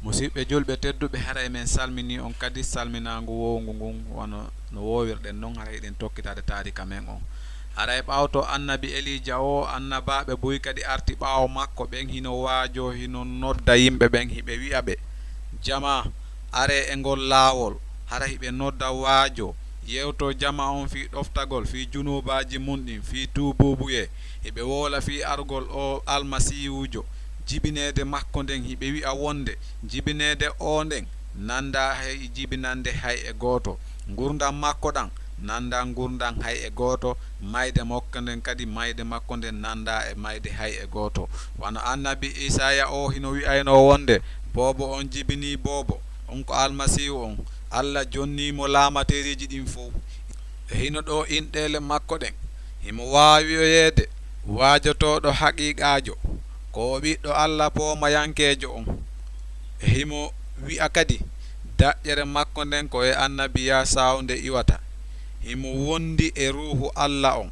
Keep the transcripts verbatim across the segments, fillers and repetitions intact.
Musiɓɓe julɓe tedduɓe, haray men salminii on kadi salminaangu woowngu ngun, wano no woowirɗen non, haray hiɗen tokkitaade taarika men on. Haray ɓawto annabi Eliija o, annabaaɓe buy kadi arti ɓaawo makko, ɓen hino waajoo, hino nodda yimɓe ɓen, hiɓe wi'a ɓe, "Jamaa, aree e ngol laawol." Hara hiɓe nodda waajoo, yewtoo jamaa on fii ɗoftagol, fii junuubaaji mun ɗin, fii tuubuubuyee. Hiɓe woola fii argol oo Almasiihuujo, jibineede makko nden, hiɓe wi'a wonde jibineede oo nden nandaa hay jibinande hay e gooto. Ngurndan makko ɗan nandaa ngurndan hay e gooto. Mayde makko nden kadi, mayde makko nden nandaa e mayde hay e gooto. Wano annabi Isaaya oo hino wi'aynoo wonde, "Boobo on jibinii boobo, on ko Almasiihu on, Alla jonnii mo laamateeriiji ɗin fow." E hino ɗoo inɗeele makko ɗen, himo waawiyoyeede waajotooɗo haqiiqaajo, ko o ɓiɗɗo Alla poomayankeejo on. E himo wi'a kadi, daƴƴere makko nden ko e annabiyaa sawnde iwata. Himo wondi e Ruuhu Alla on.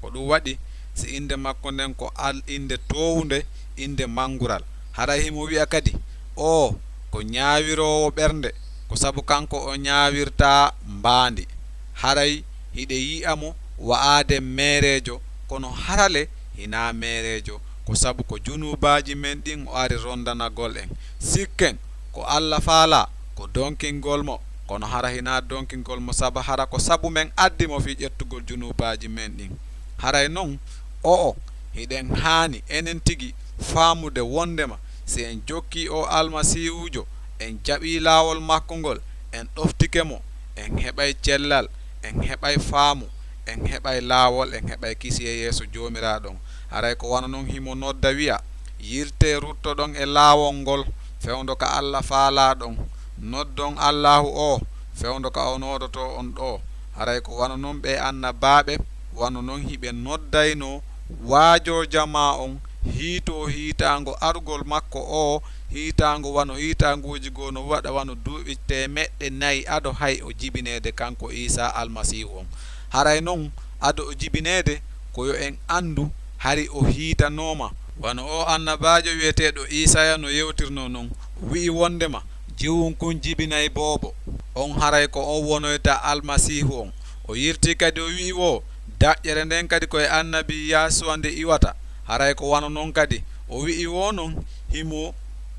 Ko ɗun waɗi si innde makko nden ko al-, innde toowunde, innde manngural. Haray himo wi'a kadi, "Oo ko ñaawiroowo ɓernde, ko sabu kanko o ñaawirtaa mbaandi." Haray hiɗen yi'a mo wa'aade meereejo, kono hara le hinaa meereejo, ko sabu ko junuubaaji men ɗin o ari ronndanagol en. Sikken ko Alla faalaa ko donkingol mo, kono hara hinaa donkingol mo, sabu hara ko sabu men addi mo fii ƴettugol junuubaaji men ɗin. Haray non, o'o hiɗen haani enen tigi faamude wonndema si en jokkii oo Almasiihuujo, en jaɓii laawol makko ngol, en ɗoftike mo, en heɓay cellal, en heɓay faamu, en heɓay laawol, en heɓay kisiyee yeeso Joomiraaɗo on. Haray ko wano non himo nodda wi'a, "Yiltee ruttoɗon e laawol ngol fewndo ka Alla faalaa ɗon. Noddon Allaahu oo fewndo ka o noodotoo on ɗoo." Haray ko wano non ɓee annabaaɓe, wano non hiɓe noddaynoo waajoo jamaa on, hiitoo hiitaango argol makko oo, hiitaango wano hiitaanguuji goo no waɗa wano duuɓi teemeɗɗe nayi ado hay o jibineede kanko Iisaa Almasiihu on. Haray non ado o jibineede, ko yo en anndu hari o hiitanooma. Wano oo annabaajo wi'eteeɗo Iisaaya no yewtirnoo non, o wi'i wonndema, "Jiwun kun jibinay boobo on, haray ko on wonoyta Almasiihu on." O yirtii kadi o wi'i woo, "Daƴƴere nden kadi ko e annabi Yaasuwa nde iwata." Haray ko wano non kadi o wi'i woo non, himo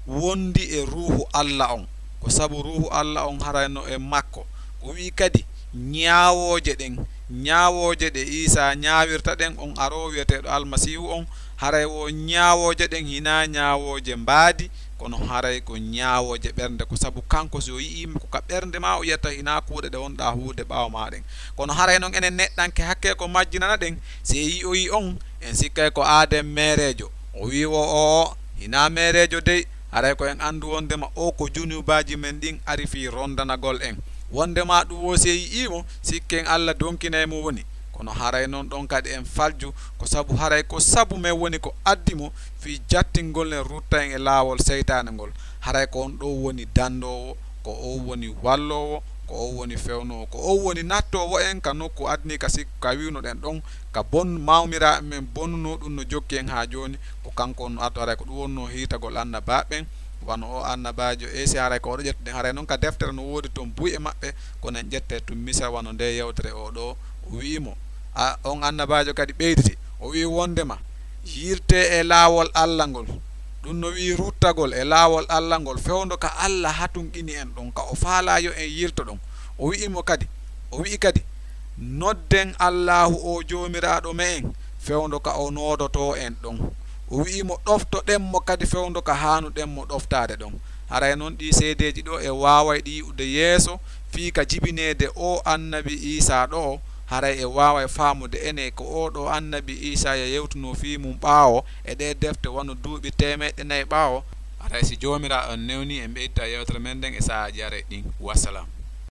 wondi e Ruuhu Alla on, ko sabu Ruuhu Alla on haray no e makko. O wi'i kadi, ñaawooje ɗen, ñaawooje ɗe Iisaa ñaawirta ɗen, on aroowo wi'eteeɗo Almasiihu on, haray woo ñaawooje ɗen hinaa ñaawooje mbaadi, kono haray ko ñaawooje ɓernde, ko sabu kanko si o yi'ii mo ko ka ɓernde maa o yi'ata, hinaa kuuɗe ɗe wonɗaa huuwude ɓaawo maa ɗen. Kono haray non enen neɗɗanke hakkee ko majjinana ɗen, si en yi'oyii on, en sikkay ko aaden meereejo. O wi'i woo, "O'o hinaa meereejo dey." Haray ko en anndu wonndema oo ko junuubaaji men ɗin ari fii ronndanagol en. Wonndema ɗun woo si en yi'ii mo, sikken Alla donkinay mo woni. Kono haray non ɗon kadi en falju, ko sabu haray ko sabu men woni ko addi mo fii jattingol en, rutta en e laawol seytaane ngol. Haray ko on ɗoo woni dandoowo, ko on woni walloowo, ko on woni fewnoowo, ko on woni nattoowo en ka nokku adni ka sik-, ka wi'unoɗen ɗon, ka bon-, mawmiraaɓe men bonnunoo ɗun no jokki en haa jooni, ko kanko on no addo. Haray ko ɗun wonnoo hiitagol annabaaɓe ɓen, wano oo annabaajo Eesi, haray ko oɗo ƴettuɗen, haray non ka deftere no woodi ton buy e maɓɓe, kono en ƴettay tun misal wano ndee yewtere oo ɗoo, o wi'i mo, a, on annabaajo kadi ɓeyditi, o wi'i wonndema, "Yirtee e laawol Alla ngol." Ɗun no wi'i ruttagol e laawol Alla ngol fewndo ka Alla hatunɗini en ɗon, ka o faalaa yo en yilto ɗon. O wi'i mo kadi, o wi'i kadi, "Nodden Allaahu oo Joomiraaɗo me'en fewndo ka o noodotoo en ɗon." O wi'i mo, "Ɗoftoɗen mo kadi fewndo ka haanuɗen mo ɗoftaade ɗon." Haray non ɗii seedeeji ɗoo e waaway ɗi yi'ude yeeso fii ka jibineede oo annabi Iisaa ɗoo, haray e waaway faamude enee ko oo ɗoo annabi Iisaaya yewtunoo fii mun ɓaawo e ɗee defte wano duuɓi teemeɗɗe nayi ɓaawo. Haray si Joomiraaɗo on newnii, en ɓeydita yewtere men nden e sahaaji arayɗi ɗin. Wassalam.